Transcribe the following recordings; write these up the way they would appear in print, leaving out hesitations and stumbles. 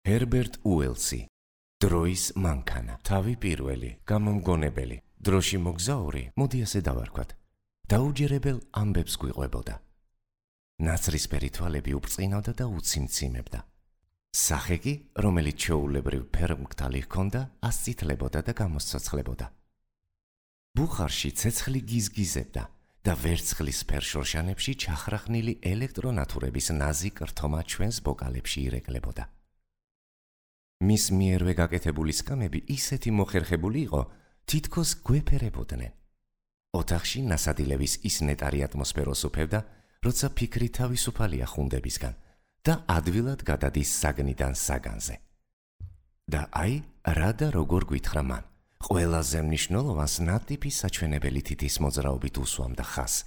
ჰერბერტ უელსი, დროის მანქანა, თავი პირველი, გამომგონებელი, დროში მოგზაური, მოდი ასე დავარქვათ, დაუჯერებელ ამბებს გვიყვებოდა. ნაცრისფერი თვალები უბწყინავდა და უციმციმებდა. სახე კი, რომელიც ჩვეულებრივ ფერმკთალი ჰქონდა, ასწითლებოდა და გამოსცოცხლებოდა. ბუხარში ცეცხლი გიზგიზებდა და ვერცხლის ფერშორშანებში ჩახრახნილი ელექტრონათურების ნაზი კრთომა ჩვენს ბოკალებში ირეკლებოდა. მის მიერვე გაკეთებული სკამები ისეთი მოხერხებული იყო, თითქოს გვეფერებოდნენ. ოთახში ნასადილების ის ნეტარი ატმოსფეროს უფევდა, როცა ფიქრი თავისუფალია ხუნდებისგან და ადვილად გადადის საგნიდან საგანზე. და აი, რა და როგორ გვითხრა მან, ყველაზე მნიშვნელოვანს ნატიფი საჩვენებელი თითის მოძრაობით უსვამდა ხაზს.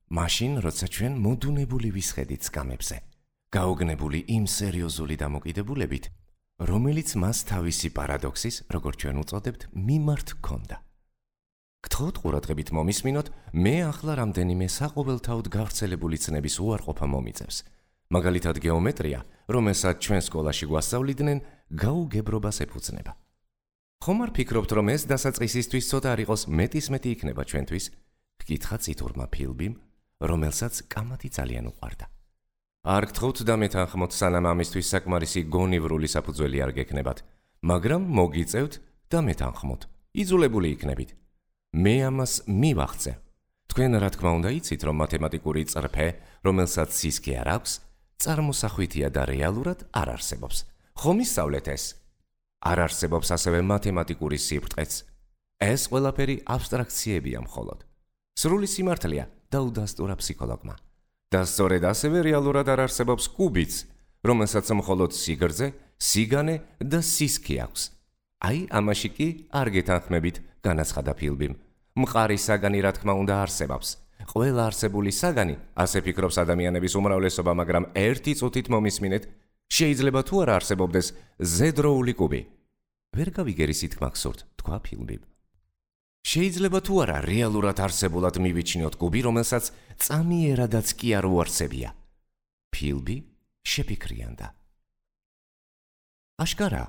მაშინ, როცა ჩვენ მოდუნებული ვისხედით სკამებზე, გაოგნებული იმ სერიოზული დამოკიდებულებით, რომელიც მას თავისი პარადოქსის, როგორც ჩვენ უწოდებთ, მიმართ ჰქონდა. გთხოვთ ყურადღებით მომისმინოთ, მე ახლა რამდენიმე საყოველთაოდ გავრცელებული ცნების უარყოფა მომიწევს. მაგალითად გეომეტრია, რომელსაც ჩვენ სკოლაში გვასწავლიდნენ, გაუგებრობას ეფუძნება. ხომ არ ფიქრობთ, რომ ეს დასაწყისისთვის ცოტა არ იყოს მეტისმეტი იქნება ჩვენთვის? ჰკითხა წითურმა ფილბიმ, რომელსაც კამათი ძალიან უყვარდა. არ გთხოვთ დამეთანხმოთ, სანამ ამისთვის საკმარისი გონივრული საფუძველი არ გექნებათ, მაგრამ მოგიწევთ დამეთანხმოთ, იძულებული იქნებით. მე ამას მივახცე. თქვენ რა თქმა უნდა იცით, რომ მათემატიკური წრფე, რომელსაც სისქე არ აქვს, წარმოსახვითია და რეალურად არ არსებობს. ხომ ისწავლეთ ეს? არ არსებობს ასევე მათემატიკური სიბრტყეც. ეს ყველაფერი აბსტრაქციებია მხოლოდ. სრული სიმართლეა, დაუდასტურა ფსიქოლოგმა. და სწორედ ასევე რეალურად არ არსებობს კუბიც, რომელსაც მხოლოდ სიგრძე, სიგანე და სისქე აქვს. აი, ამაში კი არ გეთანხმებით, განაცხადა ფილბიმ. მყარი საგანი რა თქმა უნდა არსებობს. ყველა არსებული საგანი, ასე ფიქრობს ადამიანების უმრავლესობა, მაგრამ ერთი წუთით მომისმინეთ, შეიძლება თუ არა არსებობდეს ზედროული კუბი. ვერ გავიგერისით გმახსოვთ, თქვა ფილბიმ. შეიძლება თუ არა რეალურად არსებულად მივიჩნიოთ კუბი, რომელსაც წამიერადაც კი არ უარსებია. ფილბი შეფიქრიანდა. აშკარა,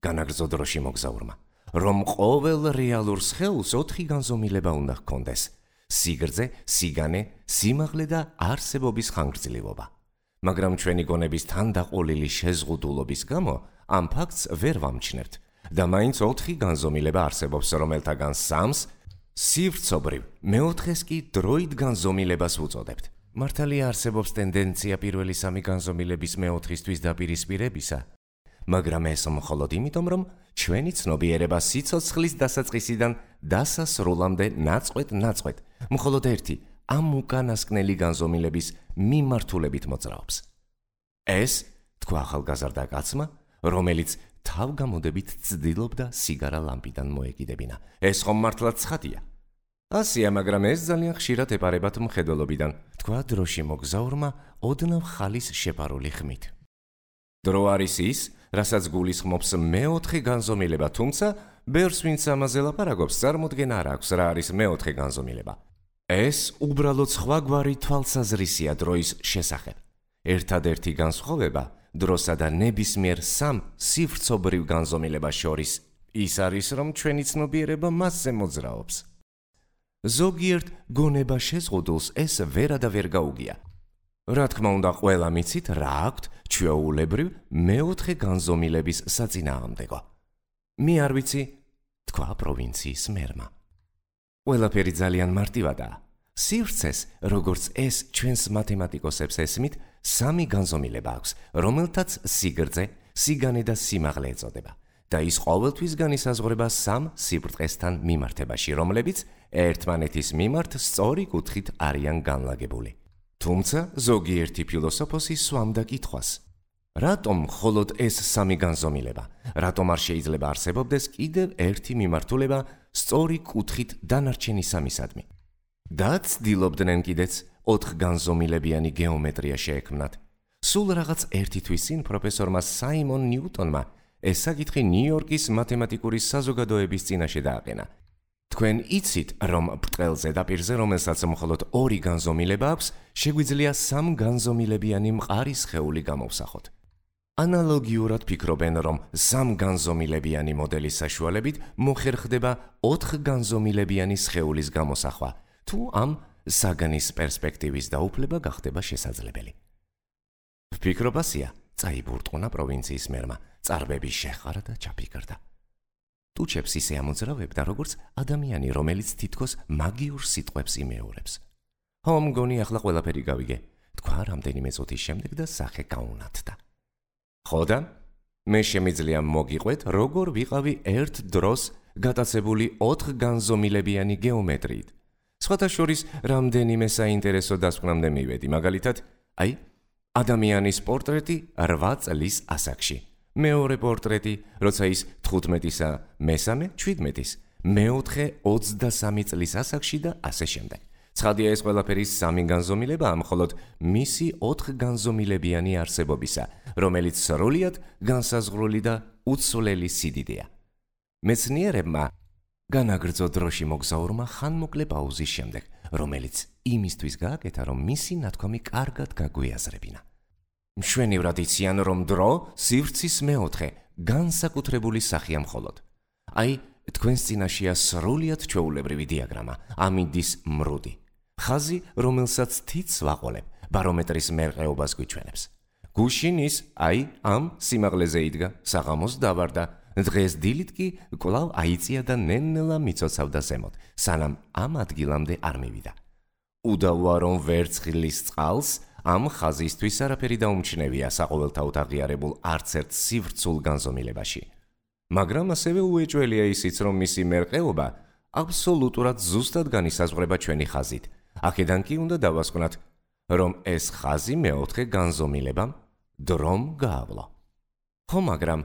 განაგრძო დროში მოგზაურმა, რომ ყოველ რეალურ სხეულს 4 განზომილება უნდა ჰქონდეს: სიგრძე, სიგანე, სიმაღლე და არსებობის ხანგრძლივობა. მაგრამ ჩვენი გონების თანდაყოლილი შეზღუდულობის გამო ამ ფაქტს ვერ ვამჩნევთ და მაინც 4 განზომილება არსებობს, რომელთაგან 3-ს სივრცობრივ, მეოთხეს კი დროით განზომილებას ვუწოდებთ. მართალია არსებობს ტენდენცია პირველი 3 განზომილების მეოთხისთვის დაპირისპირებისა, მაგრამ ეს მხოლოდ იმიტომ, რომ ჩვენი ცნობიერება სიცოცხლის დასაწყისიდან დასასრულამდე ნაწყვეტ-ნაწყვეტ, მხოლოდ ერთი ამ უკანასკნელი განზომილების მიმართულებით მოძრაობს. ეს, თქვა ახალგაზრდა კაცმა, რომელიც თავგამოდებით ცდილობდა სიგარა ლამპიდან მოეკიდებინა. ეს ხომ მართლაც ცხადია. ასია, მაგრამ ეს ძალიან ხშირად ეპარებათ მხედველობიდან, თქვა დროში მოგზაურმა ოდნავ ხალის შეპარული ხმით. დრო არის ის, რასაც გულისხმობს მეოთხე განზომილება, თუმცა ბევრს ვინც ამაზე ლაპარაკობს, წარმოდგენა არ აქვს, რა არის მეოთხე განზომილება. ეს უბრალოდ სხვაგვარი თვალსაზრისია დროის შესახებ. ერთადერთი განსხვავება დროსა და ნებისმიერ 3 სივრცობრივ განზომილებას შორის ის არის, რომ ჩვენი ცნობიერება მასზე მოძრაობს. ზოგიერთ გონება შეზღუდულს ეს ვერა და ვერ გაუგია. რა თქმა უნდა, ყველა მიცით, რა აქვთ ჩვეულებრივ მეოთხე განზომილების საწინააღმდეგო. მე არ ვიცი, თქვა პროვინციის მერმა. ყველაფერი ძალიან მარტივადაა. სივრცეს, როგორც ეს ჩვენს მათემატიკოსებს ესმით, 3 განზომილება აქვს, რომელთაც სიგრძე, სიგანე და სიმაღლე ეწოდება. და ის ყოველთვის განისაზღვრება 3 სიბრტყესთან მიმართებაში, რომლებიც ერთმანეთის მიმართ სწორი კუთხით არიან განლაგებული. თუმცა ზოგიერთი ფილოსოფოსი სვამდა კითხვას: რატომ მხოლოდ ეს 3 განზომილება? რატომ არ შეიძლება არსებობდეს კიდევ ერთი მიმართულება სწორი კუთხით დანარჩენი 3-ისადმი? და ცდილობდნენ კიდეც 4 განზომილებიანი გეომეტრია შეექმნათ. სულ რაღაც ერთი თვის წინ პროფესორმა საიმონ ნიუტონმა ეს საკითხი ნიუ-იორკის მათემატიკური საზოგადოების წინაშე დააყენა. თქვენ იცით, რომ ბრტყელ ზედაპირზე, რომელსაც მხოლოდ 2 განზომილება აქვს, შეგვიძლია 3 განზომილებიანი მყარი სხეული გამოვსახოთ. ანალოგიურად ფიქრობენ, რომ 3 განზომილებიანი მოდელის საშუალებით მოხერხდება 4 განზომილებიანი სხეულის გამოსახვა, თუ ამ საგნის პერსპექტივის დაუფლება გახდება შესაძლებელი. ვფიქრობასია, წაიბურტყუნა პროვინციის მერმა, წარბები შეხარა და ჩაფიქრდა. ტუჩებს ისე ამოძრავებდა, როგორც ადამიანი, რომელიც თითქოს მაგიურ სიტყვებს იმეორებს. "ხო, მგონი ახლა ყველაფერი გავიგე", თქვა რამდენიმე წუთის შემდეგ და სახე გაუნათდა. "ხო და მე შემიძლია მოგიყვეთ, როგორ ვიყავი ერთ დროს გატაცებული 4 განზომილებიანი გეომეტრიით. სხვათა შორის რამდენიმე საინტერესო დასკვნამდე მივედი, მაგალითად, ადამიანის პორტრეტი 8 წლის ასაკში, მეორე პორტრეტი, როცა ის 15-ისა, მესამე 17-ის, მეოთხე 23 წლის ასაკში და ასე შემდეგ. ცხადია, ეს ყველაფერი 3 განზომილებაა, მხოლოდ მისი 4 განზომილებიანი არსებობისა, რომელიც სრულად განსაზღვრული და უცვლელი სიდიდეა. მეცნიერებმა განაგრძო დროში მოგზაურმა ხანმოკლე პაუზის შემდეგ, რომელიც იმისთვის გააკეთა, რომ მისი ნათქვამი კარგად გაგვიაზრებინა. მშვენივრად იციან, რომ დრო სივრცის მეოთხე განსაკუთრებული სახეა მხოლოდ. თქვენს წინაშეა სრულად ჩვეულებრივი დიაგრამა, ამინდის მრუდი. ხაზი, რომელსაც თითს ვაყოლებ, ბარომეტრის მერყეობას გვიჩვენებს. გუშინის, ამ სიმაღლეზე იდგა, საღამოს დავარდა, დღეს დილით კი კვლავ აიწია და ნელ-ნელა მიცოცავდა ზემოთ, სანამ ამ ადგილამდე არ მივიდა. უდავოა, რომ ვერცხლის წყალს ამ ხაზისთვის არაფერი დაუმჩნევია საყოველთაოდ აღიარებულ არც ერთ სივრცულ განზომილებაში. მაგრამ ასევე უეჭველია ისიც, რომ მისი მერყეობა აბსოლუტურად ზუსტად განისაზღვრება ჩვენი ხაზით. აქედან კი უნდა დავასკვნათ, რომ ეს ხაზი მეოთხე განზომილებამ დრომ გაავლო. ხო, მაგრამ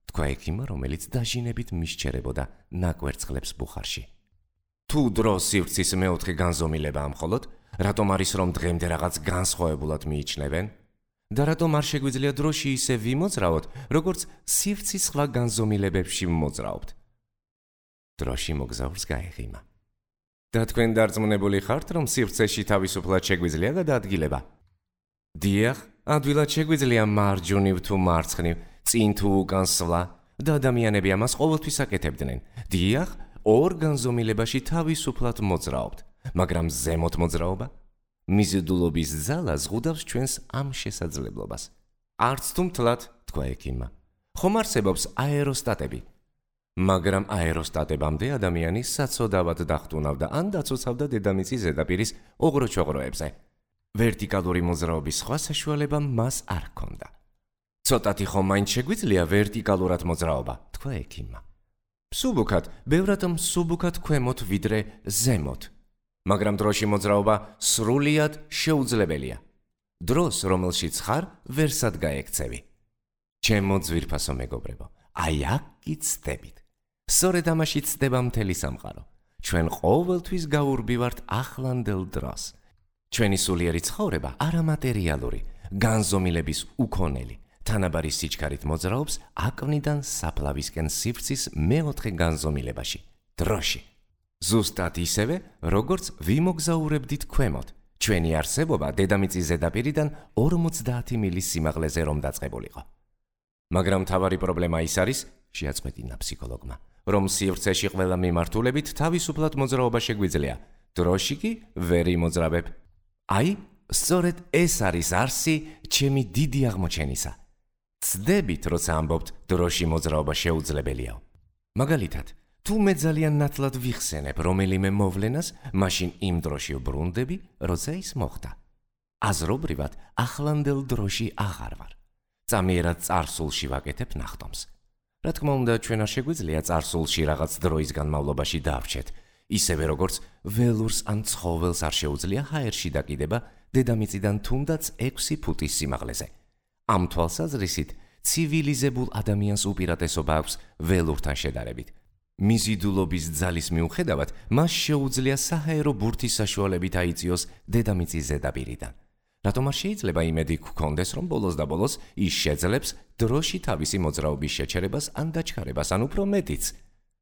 თქვა ექიმმა, რომელიც დაჟინებით მისჩერებოდა ნაკვერცხლებს ბუხარში. თუ დრო სივრცის მეოთხე განზომილებაა მხოლოდ, რატომ არის, რომ დღემდე რაღაც განსხვავებულად მიიჩნევენ? და რატომ არ შეგვიძლია დროში ისე ვიმოძრავოთ, როგორც სივრცის სხვა განზომილებებში მოძრაობთ? დროში მოგზაურს გაეღიმა. და თქვენ დარწმუნებული ხართ, რომ სივრცეში თავისუფლად შეგვიძლია გადაადგილება? დიახ, ადვილად შეგვიძლია მარჯვნივ თუ მარცხნივ, წინ თუ უკან სვლა, და ადამიანები ამას ყოველთვის აკეთებდნენ. დიახ, 2 განზომილებაში თავისუფლად მოძრაობთ, მაგრამ ზემოთ მოძრაობა? მიზიდულობის ძალა ზღუდავს ჩვენს ამ შესაძლებლობას. არც თუ მთლად, თქვა ექიმმა. ხომ არსებობს აეროსტატები? მაგრამ აეროსტატებამდე ადამიანი საცოდავად დახტუნავდა ან დაცოცავდა დედამიწის ზედაპირის ოღროჩოღროებზე. ვერტიკალური მოძრაობის სხვა საშუალება მას არ ჰქონდა. ცოტათი ხომ მაინც შეგვიძლია ვერტიკალურად მოძრაობა, თქვა ექიმმა. მსუბუქად, ბევრად მსუბუქად ქვემოთ ვიდრე ზემოთ. მაგრამ დროში მოძრაობა სრულად შეუძლებელია. დროს, რომელშიც ხარ, ვერსად გაექცევი. ჩემო ძვირფასო მეგობრებო, აქ კი ცდებით. სწორედ ამაში ცდება მთელი სამყარო. ჩვენ ყოველთვის გაურბივართ ახლანდელ დროს. ჩვენი სულიერი ცხოვრება არამატერიალური, განზომილების უქონელი, თანაბარი სიჩქარით მოძრაობს აკვნიდან საფლავისკენ სივრცის მეოთხე განზომილებაში, დროში. ზუსტად ისევე, როგორც ვიმოგზაურებდით ქვემოთ, ჩვენი არსებობა დედამიწის ზედაპირიდან 50 მილის სიმაღლეზე რომ დაწყებულიყო. მაგრამ მთავარი პრობლემა ის არის, შეაწყვეტინა ფსიქოლოგმა, რომ სივრცეში ყველა მიმართულებით თავისუფლად მოძრაობა შეგვიძლია, დროში კი ვერ იმოძრავებ. სწორედ ეს არის არსი ჩემი დიდი აღმოჩენისა. ცდებით, როცა ამბობთ, დროში მოძრაობა შეუძლებელიაო. მაგალითად, თუ მე ძალიან ნათლად ვიხსენებ რომელიმე მოვლენას, მაშინ იმ დროში ვბრუნდები, როცა ის მოხდა. აზრობრივად, ახლანდელ დროში აღარ ვარ. წამიერად წარსულში ვაკეთებ ნახტომს. რა თქმა უნდა, ჩვენ არ შეგვიძლია წარსულში რაღაც დროის განმავლობაში დავრჩეთ, ისევე როგორც ველურს ან ცხოველს არ შეუძლია ჰაერში დაკიდება დედამიწიდან თუნდაც 6 ფუტის სიმაღლეზე. ამ თვალსაზრისით, ცივილიზებულ ადამიანს უპირატესობა აქვს ველურთან შედარებით. მიზიდულობის ძალის მიუხედავად, მას შეუძლია საჰაერო ბურთის საშუალებით აიწიოს დედამიწის ზედაპირიდან. რატომ არ შეიძლება იმედი გქონდეს, რომ ბოლოს და ბოლოს ის შეძლებს დროში თავისი მოძრაობის შეჩერებას ან დაჩქარებას, ან უფრო მეტიც,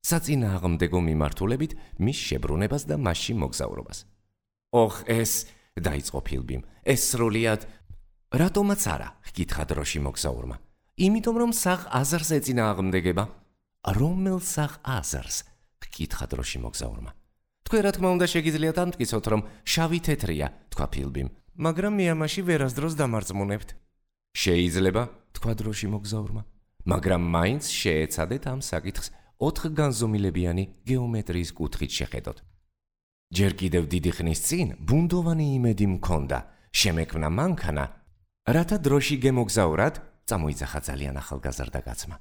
საწინააღმდეგო მიმართულებით მის შებრუნებას და მასში მოგზაურობას. ეს დაიწყო ფილბიმ, ეს სრულად რატომაც არა, ჰკითხა დროში მოგზაურმა. იმიტომ რომ საღ აზარს ეწინააღმდეგება. რომელ საღ აზარს? გკითხა დროში მოგზაურმა. თქვენ რა თქმა უნდა შეგიძლიათ ამტკიცოთ, რომ შავი თეთრია, თქვა ფილბიმ, მაგრამ მე ამაში ვერასდროს დამარწმუნებთ. შეიძლება, თქვა დროში მოგზაურმა, მაგრამ მაინც შეეცადეთ ამ საკითხს 4 განზომილებიანი გეომეტრიის კუთხით შეხედოთ. ჯერ კიდევ დიდი ხნის წინ ბუნდოვანი იმედი მქონდა, შემექმნა მანქანა, რათა დროში გემოგზავრად, წამოიძახა ძალიან ახალგაზრდა კაცმა,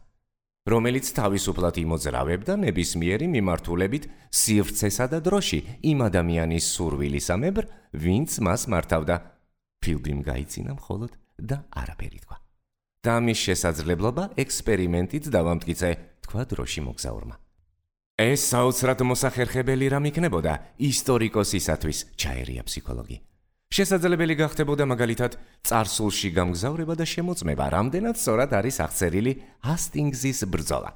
რომელიც თავისუფლად იმოძრავებდა ნებისმიერი მიმართულებით სივრცესა და დროში იმ ადამიანის სურვილისამებრ, ვინც მას მართავდა. ფილბიმ გაიცინა მხოლოდ და არაფერი თქვა. და ამის შესაძლებლობა ექსპერიმენტით დავამტკიცე, თქვა დროში მოგზაურმა. ეს საოცრად მოსახერხებელი რამ იქნებოდა ისტორიკოსისათვის, ჩაერია ფსიქოლოგი. შესაძლებელი გახდებოდა მაგალითად წარსულში გამგზავრება და შემოწმება, რამდენად სწორად არის აღწერილი ჰასტინგზის ბრძოლა.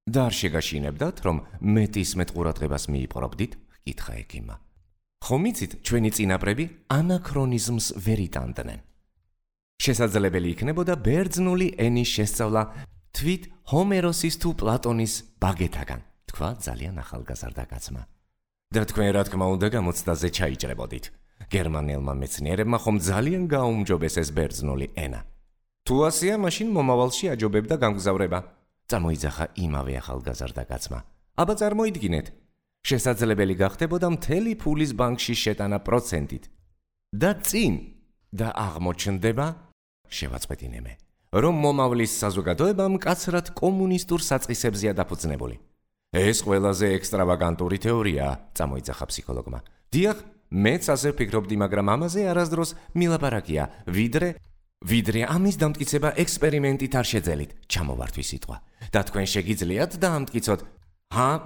და არ შეგაშინებდათ, რომ მეტისმეტ ყურადღებას მიიპყრობდით, კითხა ექიმმა. ხომ იცით, ჩვენი წინაპრები ანაქრონიზმს ვერ იტანდნენ. შესაძლებელი იქნებოდა ბერძნული ენის შესწავლა თვით ჰომეროსის თუ პლატონის ბაგეთაგან, თქვა ძალიან ახალგაზრდა კაცმა. და თქვენ რა თქმა უნდა გამოცდაზე ჩაიჭრებოდით. გერმანელმა მეცნიერებმა ხომ ძალიან გააუმჯობესეს ბერძნული ენა. თუ ასეა, მაშინ მომავალში აჯობებდა გამგზავრება, წამოიძახა იმავე ახალგაზრდა კაცმა. აბა წარმოიდგინეთ, შესაძლებელი გახდებოდა მთელი ფულის ბანკში შეტანა პროცენტით. და წინ და აღმოჩნდება, შევაწყვეტინე მე, რომ მომავლის საზოგადოება მკაცრად კომუნისტურ საწყისებზეა დაფუძნებული. ეს ყველაზე ექსტრავაგანტური თეორიაა, წამოიძახა ფსიქოლოგმა. დიახ, მეც ასე ვფიქრობდი, მაგრამ ამაზე არასდროს მილაპარაკია, ვიდრე ამის დამტკიცება ექსპერიმენტით არ შეძელით, ჩამოვართვის სიტყვა. და თქვენ შეგიძლიათ დაამტკიცოთ,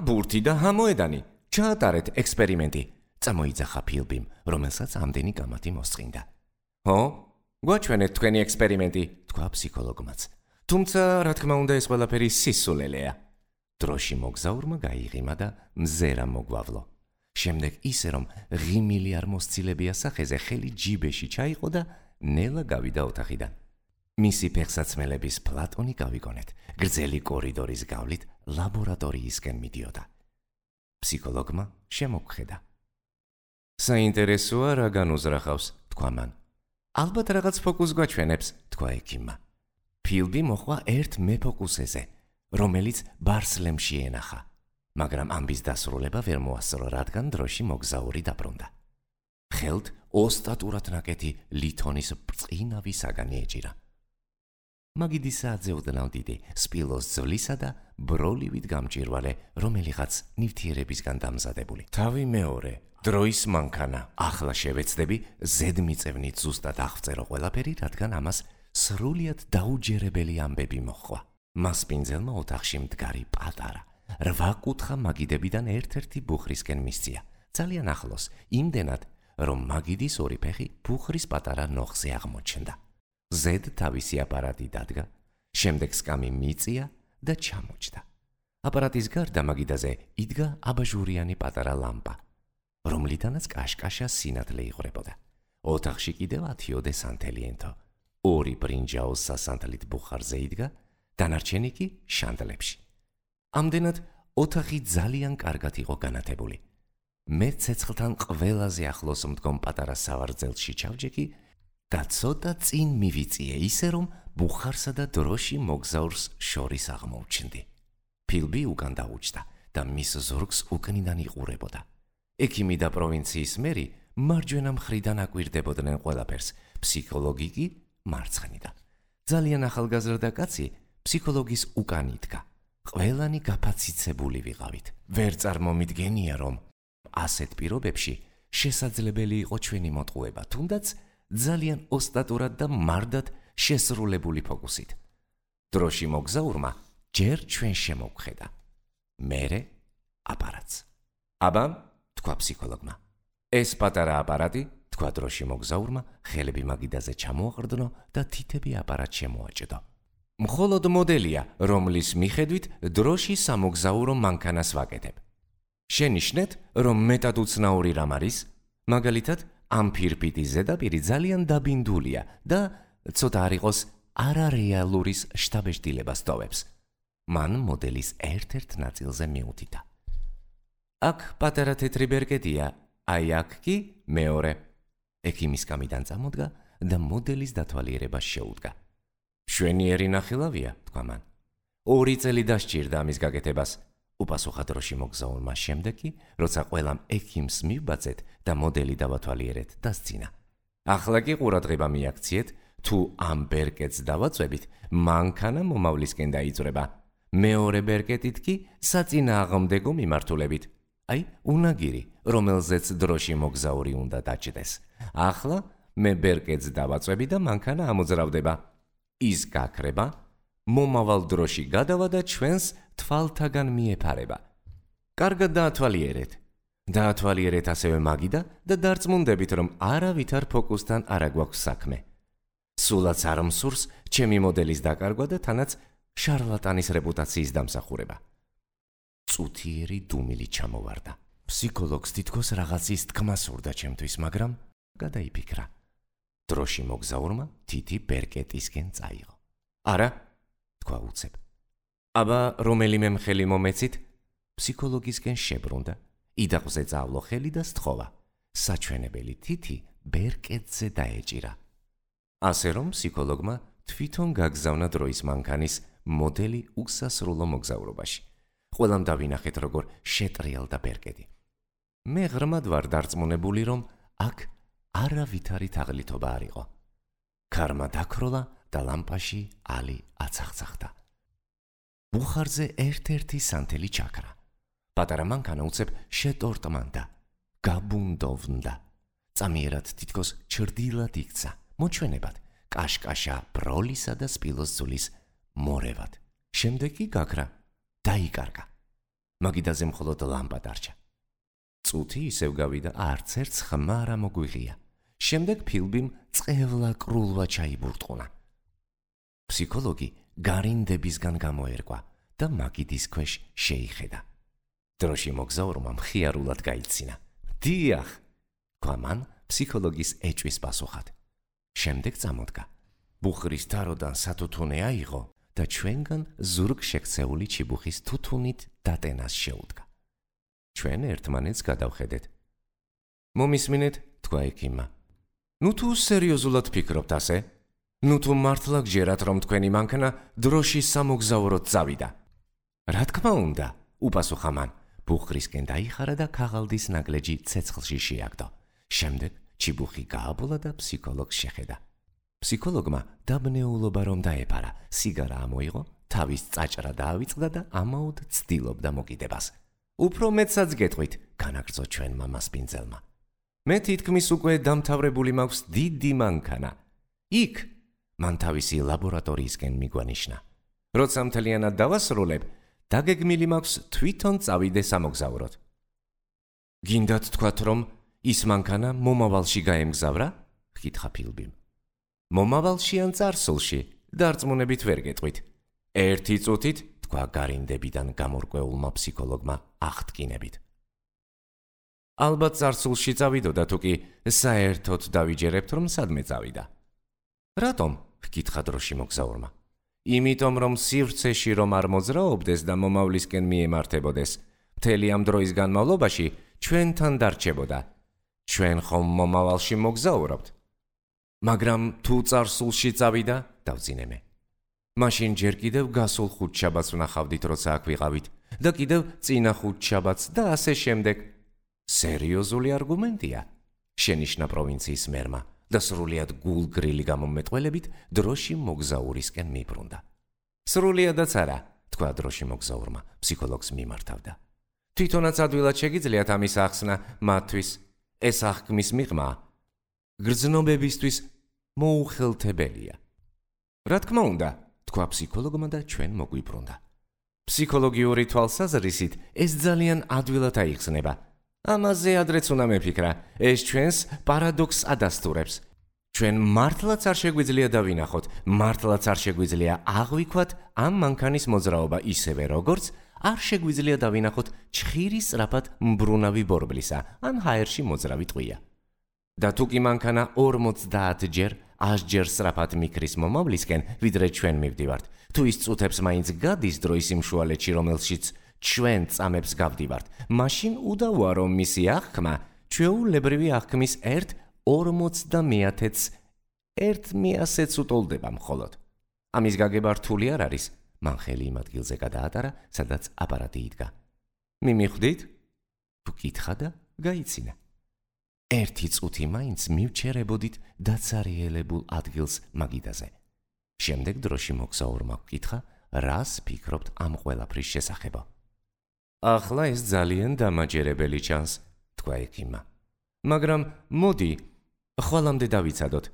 ბურთი და მოედანი. ჩაატარეთ ექსპერიმენტი, წამოიძახა ფილბიმ, რომელსაც ამდენი გამათი მოსწყინდა. ხო? გვაჩვენეთ თქვენი ექსპერიმენტი, თქვა ფსიქოლოგმაც. თუმცა, რა თქმა უნდა, ეს ყველაფერი სისულელეა. დროში მოგზაურმა გაიღიმა და მზერა მოგვავლო. შემდეგ ისე რომ ღიმილი არ მოსცილებია სახეზე, ხელი ჯიბეში ჩაიყო და ნელა გავიდა ოთახიდან. მისი ფეხსაცმელების პლატონი გავიგონეთ, გრძელი კორიდორის გავლით ლაბორატორიისკენ მიდიოდა. ფსიქოლოგმა შემოგხედა. საინტერესოა რა განუზრახავს, თქვა მან. ალბათ რაღაც ფოკუს გვაჩვენებს, თქვა ექიმმა. ფილბი მოხვა ერთ მეფოკუსეზე, რომელიც ბარსლემში ენახა, მაგრამ ამბის დასრულება ვერ მოასწრო, რადგან დროში მოგზაური დაბრუნდა. ხელთ ოსტატურად ნაკეთი ლითონის ბრწყინავი საგანი ეჭირა. მაგიდისაძე ოდნავ დიდი, სპილოს ძვლისა და ბროლივით გამჭირვალე, რომელიღაც ნივთიერებისგან დამზადებული. თავი მეორე, დროის მანქანა. ახლა შევეცდები ზედმიწევნით ზუსტად აღწერო ყველაფერი, რადგან ამას სრულიად დაუჯერებელი ამბები მოჰყვა. მასპინძელმა ოთახში მდგარი პატარა, 8 კუთხა მაგიდებიდან ერთ-ერთი ბუხრისკენ მისწია, ძალიან ახლოს, იმდენად, რომ მაგიდის ორი ფეხი ბუხრის პატარა ნოხზე აღმოჩნდა. ზედ თავისი აპარატი დადგა, შემდეგ სკამი მიწია და ჩამოჭდა. აპარატის გარდა მაგიდაზე იდგა აბაჟურიანი პატარა ლამპა, რომლიდანაც კაშკაშა სინათლე იღვრებოდა. ოთახში კიდევ 10 სანთელი ენთო, 2 ბრინჯაოს სასანთლით ბუხარზე იდგა, დანარჩენი კი შანდლებში. ამდენად ოთახი ძალიან კარგად იყო განათებული. მე ცეცხლთან ყველაზე ახლოს მდგომ პატარა სავარძელში ჩავჯექი და ცოტა წინ მივიწიე, ისე რომ ბუხარსა და დროში მოგზაურს შორის აღმოუჩნდი. ფილბი უკან დაუჭდა და მის ზურგს უკნიდან იყურებოდა. ექიმი და პროვინციის მერი მარჯვენა მხრიდან აკვირდებოდნენ ყველაფერს, ფსიქოლოგი კი მარცხნიდან. ძალიან ახალგაზრდა კაცი ფსიქოლოგის უკან იდგა. ყველანი გაფაციცებული ვიყავით. ვერ წარმომიდგენია, რომ ასეთ პირობებში შესაძლებელი იყო ჩვენი მოტყუება, თუნდაც ძალიან ოსტატურად და მარდად შესრულებული ფოკუსით. დროში მოგზაურმა ჯერ ჩვენ შემოგხედა, მერე აპარატს. აბა, თქვა ფსიქოლოგმა. ეს პატარა აპარატი, თქვა დროში მოგზაურმა, ხელები მაგიდაზე ჩამოაყრდნო და თითები აპარატს შემოაჭდო. მხოლოდ მოდელია, რომლის მიხედვით დროში სამოგზაურო მანქანას ვაკეთებ. შენიშნეთ, რომ მეტად უცნაური რამ არის, მაგალითად, ამ ფირფიტის ზედაპირი ძალიან დაბინდულია და ცოტა არ იყოს არარეალურის შთაბეჭდილებას ტოვებს. მან მოდელის ერთ-ერთ ნაწილზე მიუთიტა. აქ პატარა თეთრი ბერკეტია, აი აქ კი მეორე. ექიმის კამიდან წამოდგა და მოდელის დათვალიერებას შეუდგა. მშვენიერი ნახილავია, თქვა მან. 2 წელი დასჭირდა ამის გაკეთებას. უპასუხა დროში მოგზაურმა შემდეგ კი, როცა ყველამ ექიმს მივბაძეთ და მოდელი დავათვალიერეთ, დასცინა. ახლა კი ყურადღება მიაქციეთ, თუ ამ ბერკეტს დავაწვევით, მანქანა მომავლისკენ დაიწვრება. მეორე ბერკეტით კი საწინააღმდეგო მიმართულებით. აი, უნაგირი, რომელზეც დროში მოგზაური უნდა დაჭდეს. ახლა მე ბერკეტს დავაწვევი და მანქანა ამოძრავდება. ის გაქრება, მომავალ დროში გადავა და ჩვენს თვალთაგან მიეფარება. კარგად დაათვალიერეთ. დაათვალიერეთ ასევე მაგიდა და დარწმუნდებით, რომ არავითარ ფოკუსთან არ აგვაქვს საქმე. სულაც არ მსურს ჩემი მოდელის დაკარგვა და თანაც შარლატანის რეპუტაციის დამსახურება. წუთიერი დუმილი ჩამოვარდა. ფსიქოლოგს თითქოს რაღაცის თქმა სურდა ჩემთვის, მაგრამ გადაიფიქრა. დროში მოგზაურმა თითი ბერკეტისკენ წაიღო. არა, თქვა უცებ. აბა რომელიმე მხელი მომეცით? ფსიქოლოგისკენ შებრუნდა, იდაყზე წავლო ხელი და სთხოვა. საჩვენებელი თითი ბერკეტზე დაეჭირა. ასე რომ ფსიქოლოგმა თვითონ გაგზავნა დროის მანქანის მოდელი უსასრულო მოგზაურობაში. ყველამ დავინახეთ, როგორ შეტრიალდა ბერკეტი. მე ღრმად ვარ დარწმუნებული, რომ აქ არავითარი თაღლითობა არ იყო. ქარმა დაქროლა და ლამპაში ალი აცახცახდა. ბუხარზე ერთ-ერთი სანთელი ჩაქრა. პატარა მანქანა უცებ შეტორტმანდა, გაბუნდოვნდა. წამიერად თითქოს ჩრდილად იქცა, მოჩვენებად, კაშკაშა ბროლისა და სპილოს ძulis მორევად. შემდეგ კი გაქრა, დაიკარგა. მაგიდაზე მხოლოდ ლამპა დარჩა. წუთი ისევ გავიდა, არც ერთს ხმა არ მოგვიღია. შემდეგ ფილბიმ წყევლა-კრულვა ჩაიბურტყუნა. ფსიქოლოგი გარინდებისგან გამოერკვა და მაგიდის ქვეშ შეიხედა. დროში მოგზაურმა მხიარულად გაიცინა. დიახ, თქვა მან ფსიქოლოგის ეჭვის პასუხად. შემდეგ წამოდგა. ბუხრის თაროდან სათუთუნე აიღო და ჩვენგან ზურგ შექცეული ჩიბუხის თუთუნით დატენას შეუდგა. ჩვენ ერთმანეთს გადავხედეთ. მომისმინეთ, თქვა ექიმმა. ნუ თუ სერიოზულად ფიქრობთ ასე? ნუ თუ მართლა გჯერათ, რომ თქვენი მანქანა დროში სამოგზაუროდ წავიდა? რა თქმა უნდა, უპასუხა მან. ბუხრისკენ დაიხარა და ქაღალდის ნაგლეჯი ცეცხლში შეაგდო. შემდეგ ჩიბუხი გააბოლა და ფსიქოლოგს შეხედა. ფსიქოლოგმა დაბნეულობა რომ დაეპარა, სიგარა ამოიღო, თავის წაჭრა დაავიწყდა და ამაოდ ცდილობდა მოკიდებას. უფრო მეტსაც გეტყვით, განაგრძო ჩვენმა მასპინძელმა. მე თითქმის უკვე დამთავრებული მაქვს დიდი მანქანა. იქ მან თავისი ლაბორატორიისკენ მიგვანიშნა. როცა მთლიანად დავასრულებ, დაგეგმილი მაქვს თვითონ წავიდე სამოგზაუროდ. გინდათ თქვათ, რომ ის მანქანა მომავალში გაემგზავრა? ხითხა ფილბიმ. მომავალში ან წარსულში? დარწმუნებით ვერ გეტყვით. 1 წუთით, თქვა გარინდებიდან გამორკვეულმა ფსიქოლოგმა აღტკინებით. ალბათ წარსულში წავიდოდა, თუ კი საერთოდ დავიჯერებთ, რომ სადმე წავიდა. რატომ? ხითხა დროში მოგზაურმა. იმიტომ, რომ სივრცეში რომ არ მოძრაობდეს და მომავლისკენ მიემართებოდეს, მთელი ამ დროის განმავლობაში ჩვენთან დარჩებოდა. ჩვენ ხომ მომავალში მოგზაურობთ. მაგრამ თუ წარსულში წავიდა, დავძინე მე. მაშინ ჯერ კიდევ გასულ ხუთშაბათს ვნახავდით, როცა აქ ვიყავით, და კიდევ წინა ხუთშაბათს და ასე შემდეგ. სერიოზული არგუმენტია, შენიშნა პროვინციის მერმა და სრულიად გულგრილი გამომეტყველებით დროში მოგზაურისკენ მიბრუნდა. სრულიადაც არა, თქვა დროში მოგზაურმა, ფსიქოლოგს მიმართავდა. თვითონაც ადვილად შეგიძლიათ ამის ახსნა მათთვის, ეს აღქმის მიღმა გრძნობებისთვის მოუხელთებელია. რა თქმა უნდა, თქვა ფსიქოლოგმა და ჩვენ მოგვიბრუნდა. ფსიქოლოგიური თვალსაზრისით ეს ძალიან ადვილად აიხსნება. ამაზე ადრეც უნდა მეფიქრა, ეს ჩვენს პარადოქსს ადასტურებს. ჩვენ მართლაც არ შეგვიძლია დავინახოთ, მართლაც არ შეგვიძლია აღვიქვათ ამ მანქანის მოძრაობა ისევე, როგორც არ შეგვიძლია დავინახოთ ჩხირი სწრაფად მბრუნავი ბორბლისა ან ჰაერში მოძრავი ტყვია. და თუ კი მანქანა 50 ჯერ 100-ჯერ სწრაფად მიქრის მომავლისკენ, ვიდრე ჩვენ მივდივართ. თუ ის წუთებს მაინც გადის დროის იმ შუალედში, რომელშიც ჩვენ წამებს გავდივართ, მაშინ უდავოა, რომ მისი აღქმა ჩვეულებრივი აღქმის 1/50-ს 1/100-ს უტოლდება მხოლოდ. ამის გაგება რთული არ არის. მან ხელი იმ ადგილზე გადაატარა, სადაც აპარატი იდგა. მიმიხვდით? თუ კითხა და გაიცინა. 1 წუთი მაინც მივჩერებოდით დაცარიელებულ ადგილს მაგიდაზე. შემდეგ დროში მოგზაურმა გკითხა, რას ფიქრობთ ამ ყველაფრის შესახებ. ახლა ეს ძალიან დამაჯერებელი ჩანს, თქვა ექიმმა. მაგრამ მოდი, ხვალამდე დავიცადოთ.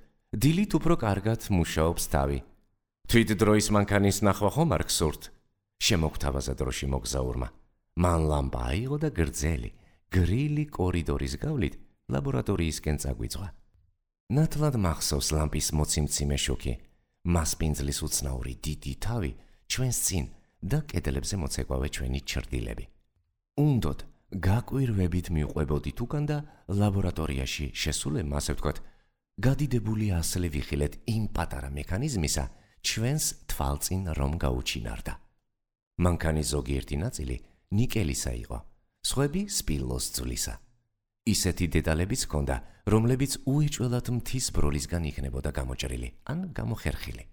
დილით უფრო კარგად მუშაობს თავი. თვით დროის მანქანის ნახვა ხომ არ გსურთ? შემოგთავაზა დროში მოგზაურმა. მან ლამპა აიღო და გრძელი, გრილი კორიდორის გავლით ლაბორატორიისკენ წაგვიძღვა. ნათლად მახსოვს ლამპის მოციმციმე შუქი, მასპინძლის უცნაური დიდი თავი ჩვენს წინ და კედლებზე მოცეკვავე ჩვენი ჩრდილები. უნდოდ გაკვირვებით მივყვებოდით უკან და ლაბორატორიაში შესულებ, ასე ვთქვათ, გადიდებული ასლი ვიხილეთ იმ პატარა მექანიზმისა, ჩვენს თვალწინ რომ გაუჩინარდა. მანქანის ზოგიერთი ნაწილი ნიკელისა იყო, სხვები სპილოს ძვლისა. ისეთი დეტალებიც ჰქონდა, რომლებიც უეჭველად მთის ბროლისგან იქნებოდა გამოჭრილი ან გამოხერხილი.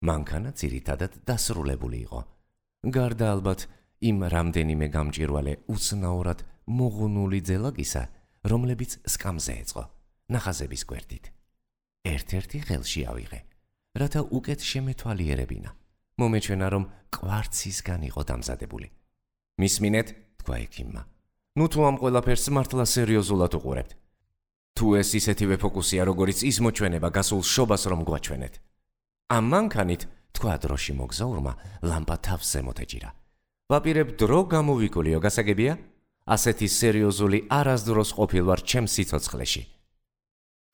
მანქანა ძირითადად დასრულებული იყო. გარდა ალბათ იმ რამდენიმე გამჭვირვალე უცნაურად მოღუნული ძელაგისა, რომლებიც სკამზე ეწყო, ნახაზების გვერდით. ერთ-ერთი ხელში ავიღე, რათა უკეთ შემეთვალიერებინა. მომეჩვენა, რომ კვარცისგან იყო დამზადებული. მისმინეთ, თქვა ექიმმა. ნუ თუ ამ ყველაფერს მართლა სერიოზულად უყურებთ. თუ ეს ისეთივე ფოკუსია, როგორიც ის მოჩვენება გასულ შობას რომ გვაჩვენეთ. ამ მანქანით, თქვა დროში მოგზაურმა, ლამპა თავს ზემოთ ეჭირა. ვაპირებ დრო გამოვიკულიო, გასაგებია? ასეთი სერიოზული არასდროს ყოფილ ვარ ჩემს სიცოცხლეში.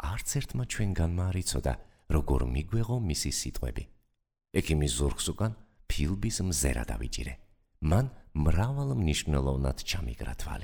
არც ერთმა ჩვენგანმა არ იცოდა, როგორ მიგვეღო მისი სიტყვები. ექიმის ზურგს უკან ფილბის მზერა დავიჭირე. მან მრავალ მნიშვნელოვნად ჩამიგრა თვალი.